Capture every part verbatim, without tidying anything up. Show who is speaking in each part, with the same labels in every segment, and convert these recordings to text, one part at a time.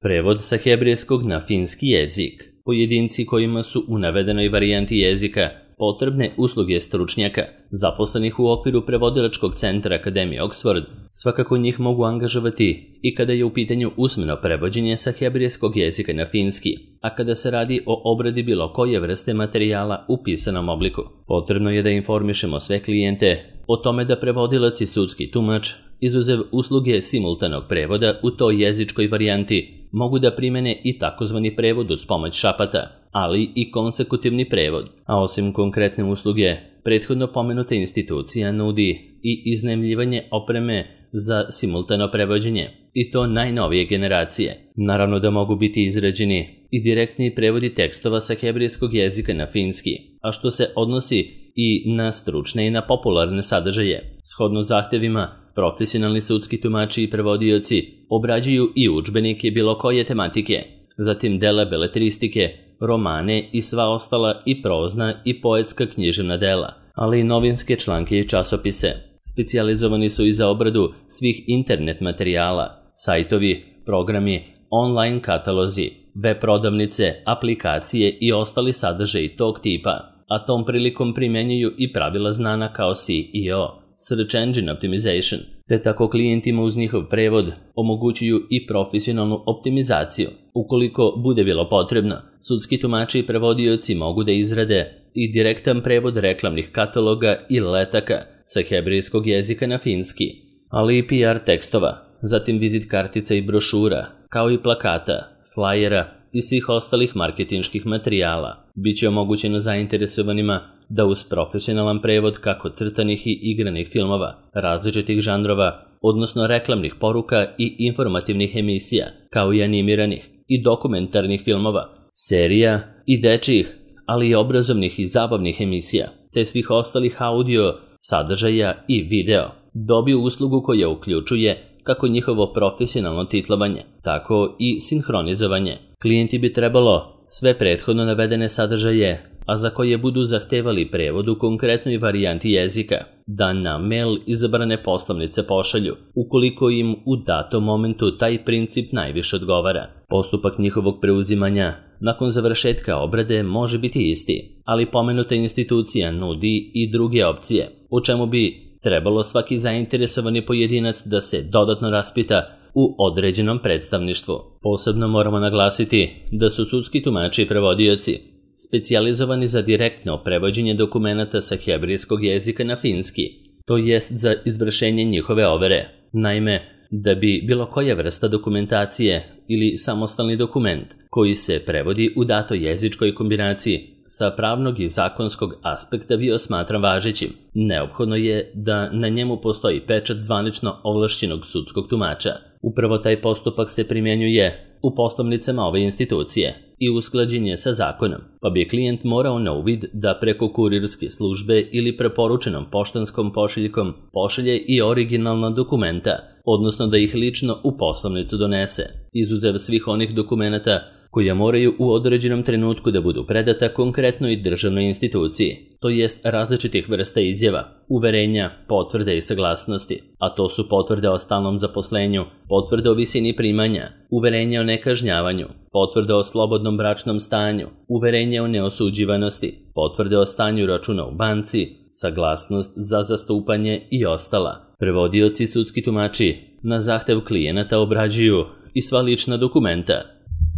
Speaker 1: Prevod sa hebrejskog na finski jezik. Pojedinci kojima su u navedenoj varijanti jezika potrebne usluge stručnjaka, zaposlenih u okviru prevodilačkog centra Akademije Oxford, svakako njih mogu angažovati i kada je u pitanju usmeno prevođenje sa hebrejskog jezika na finski, a kada se radi o obradi bilo koje vrste materijala u pisanom obliku. Potrebno je da informišemo sve klijente o tome da prevodilac i sudski tumač, izuzev usluge simultanog prevoda u toj jezičkoj varijanti, mogu da primene i takozvani prevod uz pomoć šapata, ali i konsekutivni prevod, a osim konkretne usluge, prethodno pomenuta institucija nudi i iznajmljivanje opreme za simultano prevođenje, i to najnovije generacije. Naravno da mogu biti izrađeni i direktni prevodi tekstova sa hebrejskog jezika na finski, a što se odnosi i na stručne i na popularne sadržaje. Shodno zahtevima, profesionalni sudski tumači i prevodioci obrađuju i udžbenike bilo koje tematike, zatim dela beletristike, romane i sva ostala i prozna i poetska književna dela, ali i novinske članke i časopise. Specijalizovani su i za obradu svih internet materijala, sajtovi, programi, online katalozi, web prodavnice, aplikacije i ostali sadržaji tog tipa, a tom prilikom primjenjuju i pravila znana kao S E O, Search Engine Optimization, te tako klijentima uz njihov prevod omogućuju i profesionalnu optimizaciju. Ukoliko bude bilo potrebno, sudski tumači i prevodioci mogu da izrade i direktan prevod reklamnih kataloga i letaka sa hebrejskog jezika na finski, ali i P R tekstova, zatim vizit kartica i brošura, kao i plakata, flajera i svih ostalih marketinških materijala. Biće omogućeno zainteresovanima da uz profesionalan prevod kako crtanih i igranih filmova, različitih žanrova, odnosno reklamnih poruka i informativnih emisija, kao i animiranih i dokumentarnih filmova, serija i dečijih, ali i obrazovnih i zabavnih emisija, te svih ostalih audio, sadržaja i video, dobiju uslugu koja uključuje kako njihovo profesionalno titlovanje, tako i sinhronizovanje. Klijenti bi trebalo sve prethodno navedene sadržaje, a za koje budu zahtevali prevod u konkretnoj varijanti jezika, da na mail izabrane poslovnice pošalju, ukoliko im u datom momentu taj princip najviše odgovara. Postupak njihovog preuzimanja nakon završetka obrade može biti isti, ali pomenuta institucija nudi i druge opcije, u čemu bi trebalo svaki zainteresovani pojedinac da se dodatno raspita u određenom predstavništvu. Posebno moramo naglasiti da su sudski tumači i prevodioci specijalizovani za direktno prevođenje dokumenata sa hebrejskog jezika na finski, to jest za izvršenje njihove overe. Naime, da bi bilo koja vrsta dokumentacije ili samostalni dokument koji se prevodi u datoj jezičkoj kombinaciji sa pravnog i zakonskog aspekta bio smatran važećim, neophodno je da na njemu postoji pečat zvanično ovlašćenog sudskog tumača. Upravo taj postupak se primjenjuje u poslovnicama ove institucije i usklađen je sa zakonom, pa bi klijent morao na uvid da preko kurirske službe ili preporučenom poštanskom pošiljkom pošalje i originalna dokumenta, odnosno da ih lično u poslovnicu donese, izuzev svih onih dokumenata koja moraju u određenom trenutku da budu predata konkretnoj državnoj instituciji, to jest različitih vrsta izjava, uverenja, potvrde i saglasnosti, a to su potvrde o stalnom zaposlenju, potvrde o visini primanja, uverenje o nekažnjavanju, potvrde o slobodnom bračnom stanju, uverenje o neosuđivanosti, potvrde o stanju računa u banci, saglasnost za zastupanje i ostala. Prevodioci i sudski tumači na zahtev klijenata obrađuju i sva lična dokumenta,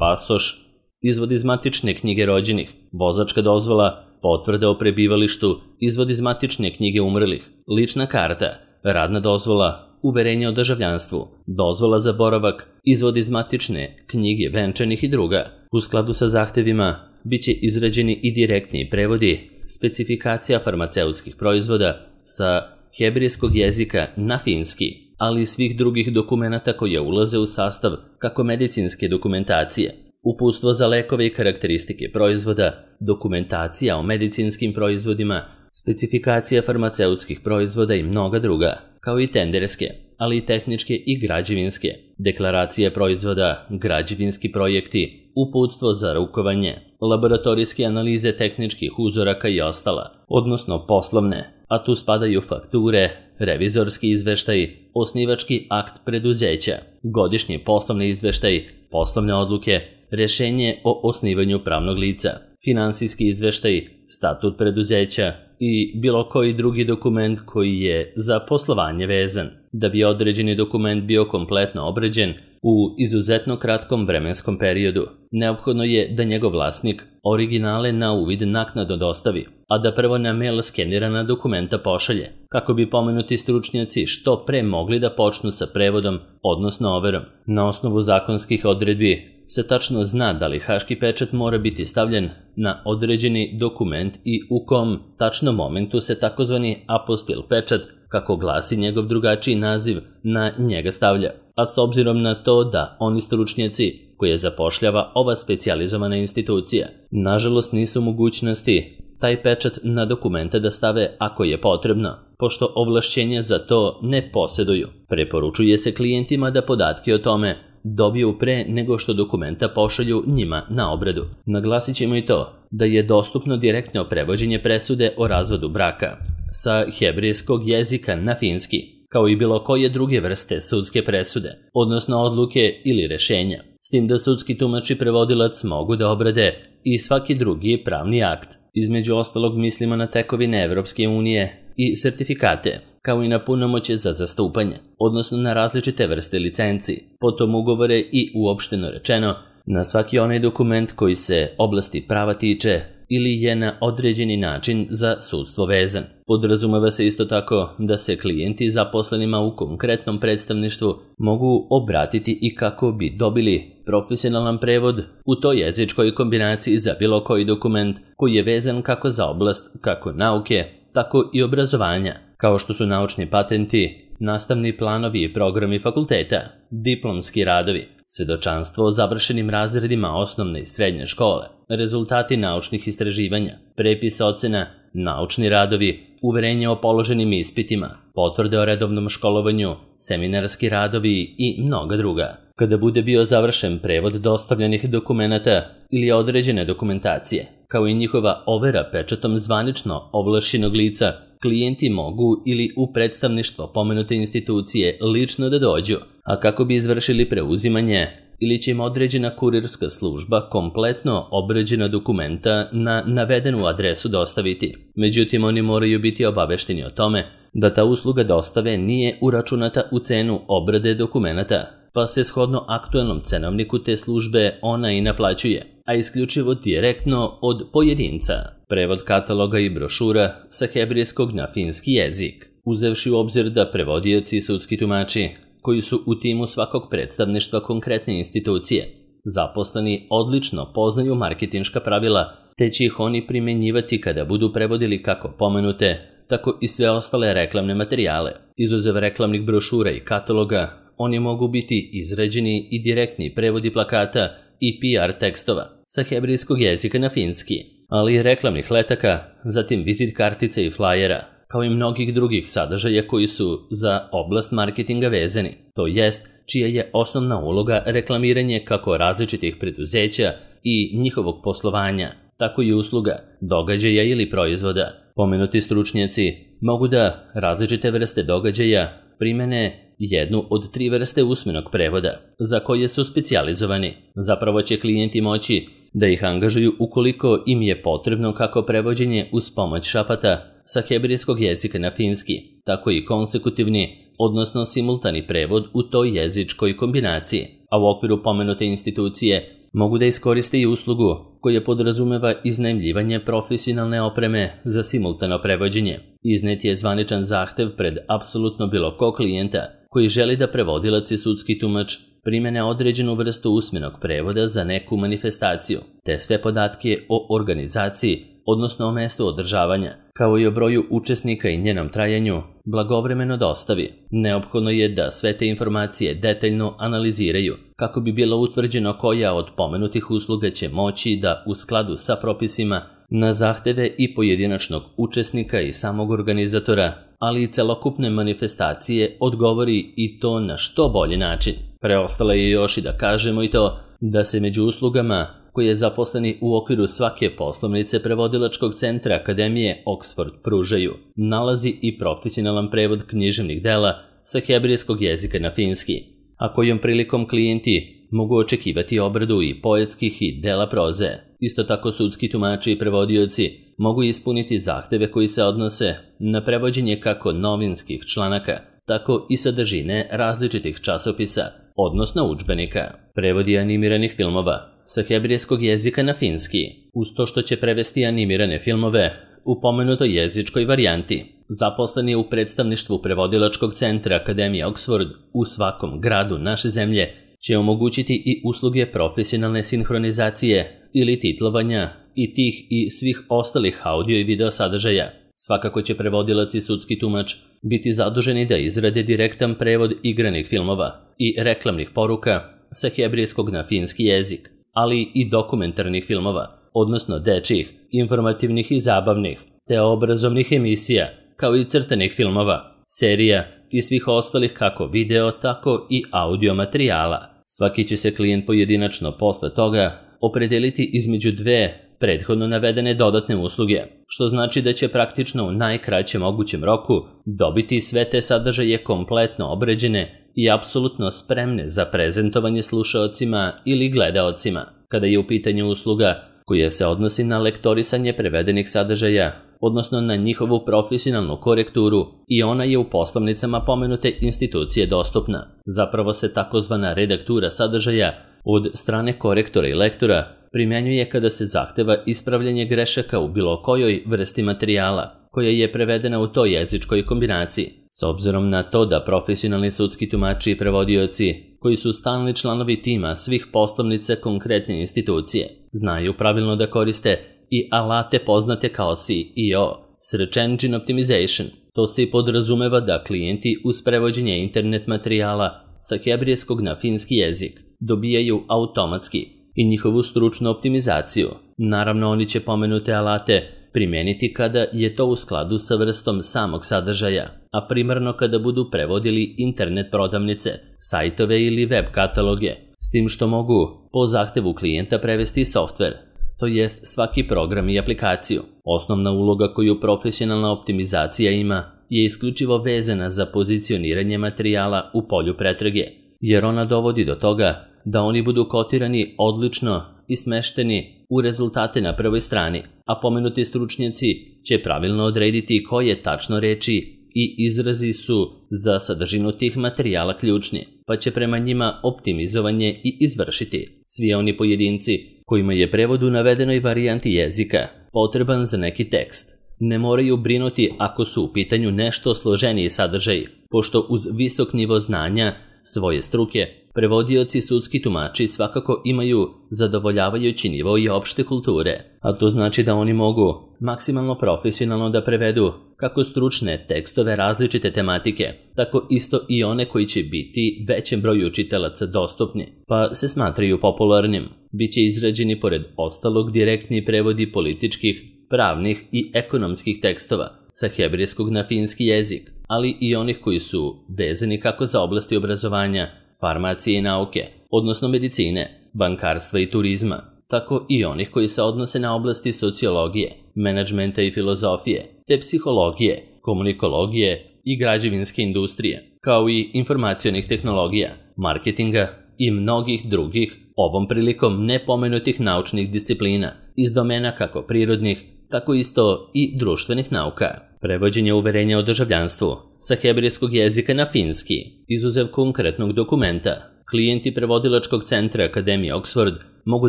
Speaker 1: pasoš, izvod iz matične knjige rođenih, vozačka dozvola, potvrde o prebivalištu, izvod iz matične knjige umrlih, lična karta, radna dozvola, uverenje o državljanstvu, dozvola za boravak, izvod iz matične knjige venčanih i druga. U skladu sa zahtevima biće izrađeni i direktni prevodi specifikacija farmaceutskih proizvoda sa hebrejskog jezika na finski, ali i svih drugih dokumenata koje ulaze u sastav kako medicinske dokumentacije, uputstvo za lekove i karakteristike proizvoda, dokumentacija o medicinskim proizvodima, specifikacija farmaceutskih proizvoda i mnoga druga, kao i tenderske, ali i tehničke i građevinske, deklaracije proizvoda, građevinski projekti, uputstvo za rukovanje, laboratorijske analize tehničkih uzoraka i ostala, odnosno poslovne, a tu spadaju fakture, revizorski izveštaj, osnivački akt preduzeća, godišnji poslovni izveštaj, poslovne odluke, rešenje o osnivanju pravnog lica, finansijski izveštaj, statut preduzeća i bilo koji drugi dokument koji je za poslovanje vezan. Da bi određeni dokument bio kompletno obrađen u izuzetno kratkom vremenskom periodu, neophodno je da njegov vlasnik originale na uvid naknadno dostavi, a da prvo na mail skenirana dokumenta pošalje, kako bi pomenuti stručnjaci što pre mogli da počnu sa prevodom, odnosno overom. Na osnovu zakonskih odredbi se tačno zna da li haški pečat mora biti stavljen na određeni dokument i u kom tačnom momentu se takozvani apostil pečat, kako glasi njegov drugačiji naziv, na njega stavlja. A s obzirom na to da oni stručnjaci koje zapošljava ova specijalizovana institucija, nažalost nisu u mogućnosti taj pečat na dokumente da stave ako je potrebno, pošto ovlašćenja za to ne posjeduju. Preporučuje se klijentima da podatke o tome dobiju pre nego što dokumenta pošalju njima na obradu. Naglasit ćemo i to da je dostupno direktno prevođenje presude o razvodu braka sa hebrejskog jezika na finski, kao i bilo koje druge vrste sudske presude, odnosno odluke ili rešenja, s tim da sudski tumač i prevodilac mogu da obrade i svaki drugi pravni akt. Između ostalog mislimo na tekovine Evropske unije i sertifikate, kao i na punomoće za zastupanje, odnosno na različite vrste licenci, potom ugovore i uopšteno rečeno na svaki onaj dokument koji se oblasti prava tiče ili je na određeni način za sudstvo vezan. Podrazumeva se isto tako da se klijenti zaposlenima u konkretnom predstavništvu mogu obratiti i kako bi dobili profesionalan prevod u toj jezičkoj kombinaciji za bilo koji dokument koji je vezan kako za oblast kako nauke, tako i obrazovanja, kao što su naučni patenti, nastavni planovi i programi fakulteta, diplomski radovi, svedočanstvo o završenim razredima osnovne i srednje škole, rezultati naučnih istraživanja, prepis ocena, naučni radovi, uverenje o položenim ispitima, potvrde o redovnom školovanju, seminarski radovi i mnoga druga. Kada bude bio završen prevod dostavljenih dokumenata ili određene dokumentacije, kao i njihova overa pečatom zvanično ovlašćenog lica, klijenti mogu ili u predstavništvo pomenute institucije lično da dođu, a kako bi izvršili preuzimanje ili će im određena kurirska služba kompletno obrađena dokumenta na navedenu adresu dostaviti. Međutim, oni moraju biti obavešteni o tome da ta usluga dostave nije uračunata u cenu obrade dokumenata, pa se shodno aktuelnom cenovniku te službe ona i naplaćuje, a isključivo direktno od pojedinca. Prevod kataloga i brošura sa hebrejskog na finski jezik, uzevši u obzir da prevodioci i sudski tumači koji su u timu svakog predstavništva konkretne institucije zaposleni odlično poznaju marketinška pravila, te će ih oni primjenjivati kada budu prevodili kako pomenute, tako i sve ostale reklamne materijale. Izuzev reklamnih brošura i kataloga, oni mogu biti izrađeni i direktni prevodi plakata i P R tekstova sa hebrejskog jezika na finski, ali i reklamnih letaka, zatim vizit kartica i flajera, kao i mnogih drugih sadržaja koji su za oblast marketinga vezani, to jest čija je osnovna uloga reklamiranje kako različitih preduzeća i njihovog poslovanja, tako i usluga, događaja ili proizvoda. Pomenuti stručnjaci mogu da različite vrste događaja primene jednu od tri vrste usmenog prevoda, za koje su specijalizovani. Zapravo će klijenti moći da ih angažuju ukoliko im je potrebno kako prevođenje uz pomoć šapata sa hebrejskog jezika na finski, tako i konsekutivni, odnosno simultani prevod u toj jezičkoj kombinaciji, a u okviru pomenute institucije mogu da iskoriste i uslugu koja podrazumeva iznajmljivanje profesionalne opreme za simultano prevođenje. Iznet je zvaničan zahtev pred apsolutno bilo ko klijenta koji želi da prevodilac i sudski tumač primene određenu vrstu usmenog prevoda za neku manifestaciju, te sve podatke o organizaciji, odnosno o mestu održavanja, kao i o broju učesnika i njenom trajanju, blagovremeno dostavi. Neophodno je da sve te informacije detaljno analiziraju, kako bi bilo utvrđeno koja od pomenutih usluga će moći da u skladu sa propisima na zahteve i pojedinačnog učesnika i samog organizatora, ali i celokupne manifestacije odgovori i to na što bolji način. Preostalo je još i da kažemo i to da se među uslugama koji je zaposleni u okviru svake poslovnice prevodilačkog centra Akademije Oxford pružaju, nalazi i profesionalan prevod književnih dela sa hebrejskog jezika na finski, a kojom prilikom klijenti mogu očekivati obradu i poetskih i dela proze. Isto tako sudski tumači i prevodioci mogu ispuniti zahteve koji se odnose na prevođenje kako novinskih članaka, tako i sadržine različitih časopisa, odnosno udžbenika. Prevodi animiranih filmova sa hebrejskog jezika na finski, uz to što će prevesti animirane filmove u pomenutoj jezičkoj varijanti. Zaposleni u predstavništvu prevodilačkog centra Akademije Oxford u svakom gradu naše zemlje će omogućiti i usluge profesionalne sinhronizacije ili titlovanja i tih i svih ostalih audio i video sadržaja. Svakako će prevodilac i sudski tumač biti zaduženi da izrade direktan prevod igranih filmova i reklamnih poruka sa hebrejskog na finski jezik, ali i dokumentarnih filmova, odnosno dečjih, informativnih i zabavnih, te obrazovnih emisija, kao i crtanih filmova, serija i svih ostalih kako video, tako i audio materijala. Svaki će se klijent pojedinačno posle toga opredeliti između dve prethodno navedene dodatne usluge, što znači da će praktično u najkraćem mogućem roku dobiti sve te sadržaje kompletno obrađene i apsolutno spremne za prezentovanje slušaocima ili gledaocima. Kada je u pitanju usluga koja se odnosi na lektorisanje prevedenih sadržaja, odnosno na njihovu profesionalnu korekturu, i ona je u poslovnicama pomenute institucije dostupna. Zapravo se takozvana redaktura sadržaja od strane korektora i lektora primjenjuje kada se zahteva ispravljanje grešaka u bilo kojoj vrsti materijala koja je prevedena u toj jezičkoj kombinaciji. S obzirom na to da profesionalni sudski tumači i prevodioci, koji su stalni članovi tima svih poslovnica konkretne institucije, znaju pravilno da koriste i alate poznate kao S E O, Search Engine Optimization. To se i podrazumeva da klijenti uz prevođenje internet materijala sa hebrejskog na finski jezik dobijaju automatski i njihovu stručnu optimizaciju. Naravno, oni će pomenute alate primijeniti kada je to u skladu sa vrstom samog sadržaja, a primarno kada budu prevodili internet prodavnice, sajtove ili web kataloge, s tim što mogu po zahtevu klijenta prevesti softver, to jest svaki program i aplikaciju. Osnovna uloga koju profesionalna optimizacija ima je isključivo vezana za pozicioniranje materijala u polju pretrage, jer ona dovodi do toga da oni budu kotirani odlično i smešteni u rezultate na prvoj strani, a pomenuti stručnjaci će pravilno odrediti koje tačno reči i izrazi su za sadržinu tih materijala ključni, pa će prema njima optimizovanje i izvršiti. Svi oni pojedinci kojima je prevod u navedenoj varijanti jezika potreban za neki tekst ne moraju brinuti ako su u pitanju nešto složeniji sadržaji, pošto uz visok nivo znanja svoje struke prevodioci i sudski tumači svakako imaju zadovoljavajući nivo i opšte kulture, a to znači da oni mogu maksimalno profesionalno da prevedu kako stručne tekstove različite tematike, tako isto i one koji će biti većem broju čitalaca dostupni, pa se smatraju popularnim. Biće izrađeni pored ostalog direktni prevodi političkih, pravnih i ekonomskih tekstova sa hebrejskog na finski jezik, ali i onih koji su vezani kako za oblasti obrazovanja, farmacije i nauke, odnosno medicine, bankarstva i turizma, tako i onih koji se odnose na oblasti sociologije, menadžmenta i filozofije, te psihologije, komunikologije i građevinske industrije, kao i informacionih tehnologija, marketinga i mnogih drugih, ovom prilikom nepomenutih naučnih disciplina iz domena kako prirodnih, tako isto i društvenih nauka. Prevođenje uverenja o državljanstvu sa hebrejskog jezika na finski, izuzev konkretnog dokumenta, klijenti prevodilačkog centra Akademije Oxford mogu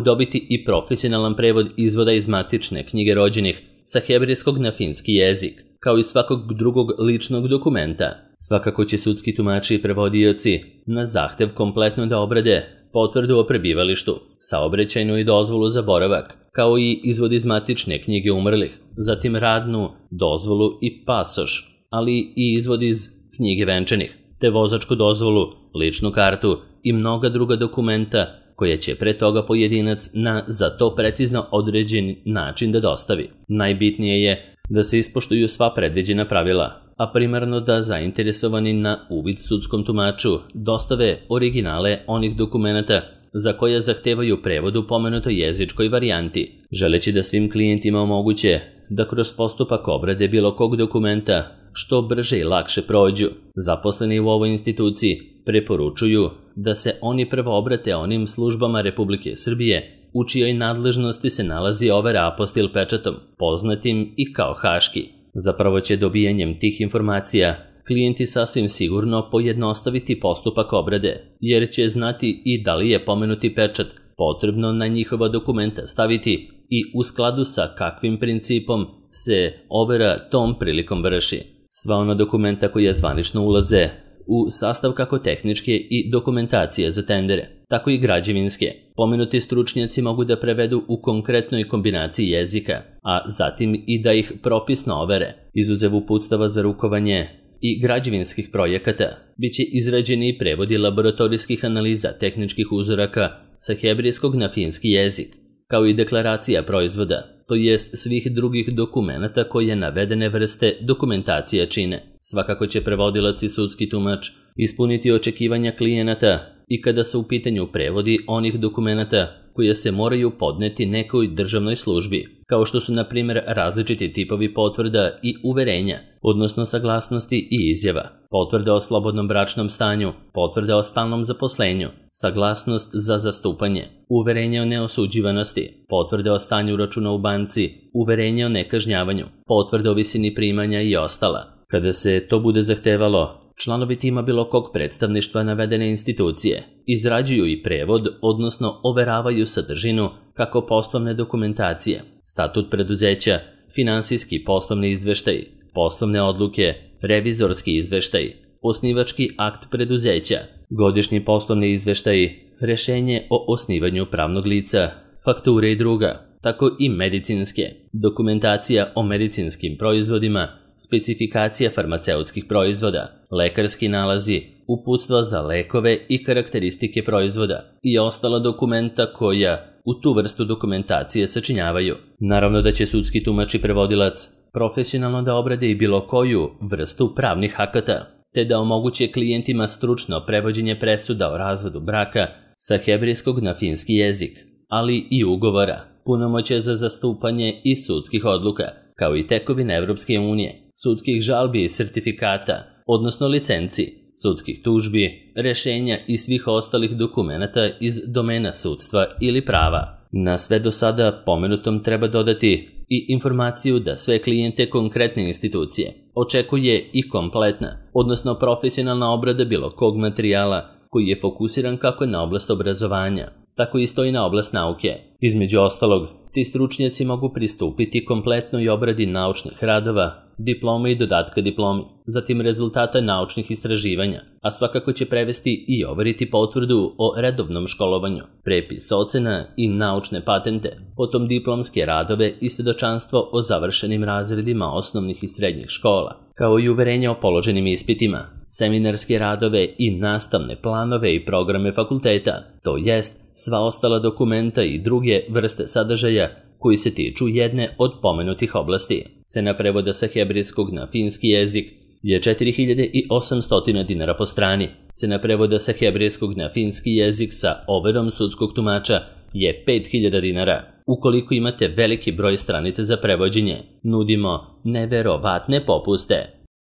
Speaker 1: dobiti i profesionalan prevod izvoda iz matične knjige rođenih sa hebrejskog na finski jezik, kao i svakog drugog ličnog dokumenta. Svakako će sudski tumači i prevodioci na zahtev kompletno da obrade potvrdu o prebivalištu, saobraćajnu i dozvolu za boravak, kao i izvod iz matične knjige umrlih, zatim radnu dozvolu i pasoš, ali i izvod iz knjige venčanih, te vozačku dozvolu, ličnu kartu i mnoga druga dokumenta koja će pre toga pojedinac na za to precizno određen način da dostavi. Najbitnije je da se ispoštuju sva predviđena pravila, a primarno da zainteresovani na uvid sudskom tumaču dostave originale onih dokumenta za koja zahtevaju prevod u pomenutoj jezičkoj varijanti, želeći da svim klijentima omoguće da kroz postupak obrade bilo kog dokumenta što brže i lakše prođu. Zaposleni u ovoj instituciji preporučuju da se oni prvo obrate onim službama Republike Srbije u čijoj nadležnosti se nalazi overa apostil pečatom, poznatim i kao haški. Zapravo će dobijanjem tih informacija klijenti sasvim sigurno pojednostaviti postupak obrade, jer će znati i da li je pomenuti pečat potrebno na njihova dokumenta staviti i u skladu sa kakvim principom se overa tom prilikom vrši. Sva ona dokumenta koja zvanično ulaze u sastav kako tehničke i dokumentacije za tendere, tako i građevinske, pomenuti stručnjaci mogu da prevedu u konkretnoj kombinaciji jezika, a zatim i da ih propisno overe. Izuzev uputstava za rukovanje i građevinskih projekata, bit će izrađeni i prevodi laboratorijskih analiza tehničkih uzoraka sa hebrejskog na finski jezik, kao i deklaracija proizvoda, to jest svih drugih dokumenata koje navedene vrste dokumentacija čine. Svakako će prevodilac i sudski tumač ispuniti očekivanja klijenata i kada su u pitanju prevodi onih dokumenata koje se moraju podneti nekoj državnoj službi, kao što su na primjer različiti tipovi potvrda i uverenja, odnosno saglasnosti i izjava, potvrda o slobodnom bračnom stanju, potvrda o stalnom zaposlenju, saglasnost za zastupanje, uverenje o neosuđivanosti, potvrde o stanju računa u banci, uverenje o nekažnjavanju, potvrde o visini primanja i ostala. Kada se to bude zahtevalo, članovi tima bilo kog predstavništva navedene institucije izrađuju i prevod, odnosno overavaju sadržinu kako poslovne dokumentacije, statut preduzeća, finansijski poslovni izveštaj, poslovne odluke, revizorski izveštaj, osnivački akt preduzeća, godišnji poslovni izveštaj, rešenje o osnivanju pravnog lica, fakture i druga, tako i medicinske, dokumentacija o medicinskim proizvodima, specifikacija farmaceutskih proizvoda, lekarski nalazi, uputstva za lekove i karakteristike proizvoda i ostala dokumenta koja u tu vrstu dokumentacije sačinjavaju. Naravno da će sudski tumač i prevodilac profesionalno da obrade i bilo koju vrstu pravnih akata, te da omoguće klijentima stručno prevođenje presuda o razvodu braka sa hebrejskog na finski jezik, ali i ugovora, punomoćja za zastupanje i sudskih odluka, kao i tekovine Evropske unije, sudskih žalbi i sertifikata, odnosno licenci, sudskih tužbi, rešenja i svih ostalih dokumenata iz domena sudstva ili prava. Na sve do sada pomenutom treba dodati i informaciju da sve klijente konkretne institucije očekuje i kompletna, odnosno profesionalna obrada bilo kog materijala koji je fokusiran kako na oblast obrazovanja, tako isto i na oblast nauke. Između ostalog, ti stručnjaci mogu pristupiti kompletnoj obradi naučnih radova, diplome i dodatka diplomi, zatim rezultata naučnih istraživanja, a svakako će prevesti i overiti potvrdu o redovnom školovanju, prepis ocena i naučne patente, potom diplomske radove i svedočanstvo o završenim razredima osnovnih i srednjih škola, kao i uverenje o položenim ispitima, seminarske radove i nastavne planove i programe fakulteta, to jest sva ostala dokumenta i druge vrste sadržaja koji se tiču jedne od pomenutih oblasti. Cena prevoda sa hebrejskog na finski jezik je četiri hiljade osamsto dinara po strani. Cena prevoda sa hebrejskog na finski jezik sa overom sudskog tumača je pet hiljada dinara. Ukoliko imate veliki broj stranica za prevođenje, nudimo neverovatne popuste.